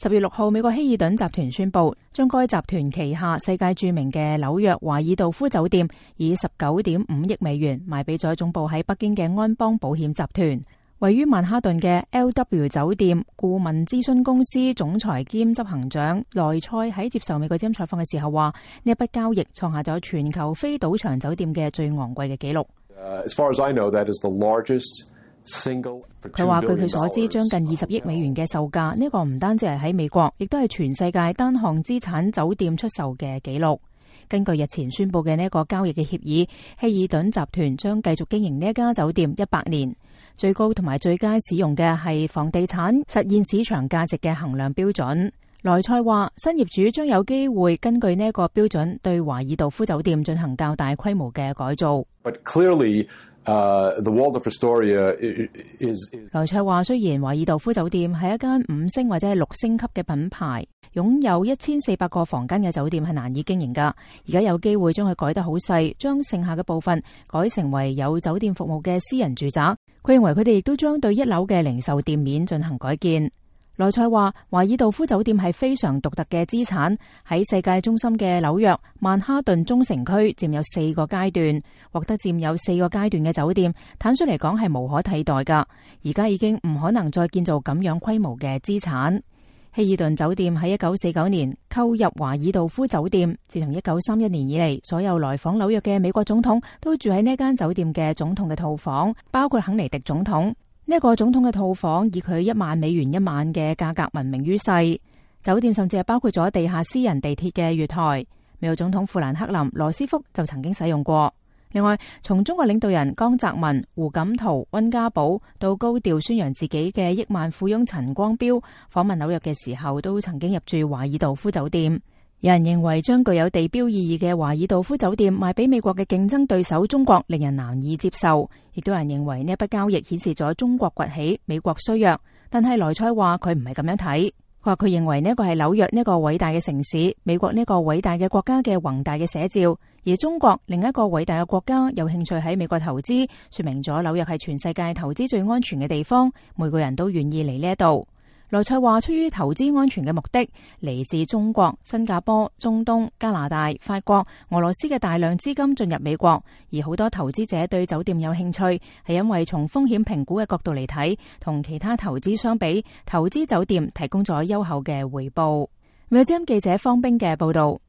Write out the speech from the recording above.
10月6號，美國希爾頓集團宣布將該集團旗下世界著名嘅紐約華爾道夫酒店以19.5億美元賣俾咗總部喺北京嘅安邦保險集團。位於曼哈頓嘅 LW 酒店顧問諮詢公司總裁兼執行長萊塞喺接受美國之音採訪嘅時候話，呢一筆交易創下咗全球非賭場酒店嘅最昂貴嘅紀錄。As far as I know, that is the largest佢話據佢所知，將近20億美元嘅售價，呢個唔單止係喺美國，亦都係全世界單項資產酒店出售嘅紀錄。根據日前宣布嘅呢一個交易嘅協議，希爾頓集團將繼續經營呢一家酒店100年，最高同埋最佳使用嘅係房地產實現市場價值嘅衡量標準。萊塞話，新業主將有機會根據呢一個標準對華爾道夫酒店進行較大規模嘅改造。But clearly, the Waldorf Astoria is 萊塞話，雖然華爾道夫酒店係一間5星或者係6星級嘅品牌，擁有1400個房間嘅酒店係難以經營㗎。而家有機會將佢改得好細，將剩下嘅部分改成為有酒店服務嘅私人住宅。佢認為佢哋亦都將對1樓嘅零售店面進行改建。萊塞話，華爾道夫酒店係非常獨特嘅資產，喺世界中心嘅紐約曼哈頓中城區佔有4個階段，獲得佔有4個階段嘅酒店，坦率嚟講係無可替代㗎。而家已經唔可能再建造咁樣規模嘅資產。希爾頓酒店喺1949年購入華爾道夫酒店，自從1931年以嚟，所有來訪紐約嘅美國總統都住喺呢間酒店嘅總統嘅套房，包括肯尼迪總統。呢一個總統嘅套房以佢1萬美元一晚嘅價格聞名於世，酒店甚至係包括咗地下私人地鐵嘅月台。美國總統富蘭克林、羅斯福就曾經使用過。另外，從中國領導人江澤民、胡錦濤、溫家寶到高調宣揚自己嘅億萬富翁陳光標，訪問紐約嘅時候都曾經入住華爾道夫酒店。有人認為將具有地標意義嘅華爾道夫酒店賣俾美國嘅競爭對手中國，令人難以接受。亦都有人認為呢一筆交易顯示咗中國崛起，美國衰弱。但係萊塞話佢唔係咁樣睇，佢話佢認為呢一個係紐約呢一個偉大嘅城市，美國呢一個偉大嘅國家嘅宏大嘅寫照。而中國另一個偉大嘅國家有興趣喺美國投資，說明咗紐約係全世界投資最安全嘅地方，每個人都願意嚟呢一度。萊塞話，出於投資安全嘅目的，嚟自中國、新加坡、中東、加拿大、法國、俄羅斯嘅大量資金進入美國，而好多投資者對酒店有興趣，係因為從風險評估嘅角度嚟睇，同其他投資相比，投資酒店提供咗優厚嘅回報。美國之音記者方冰嘅報道。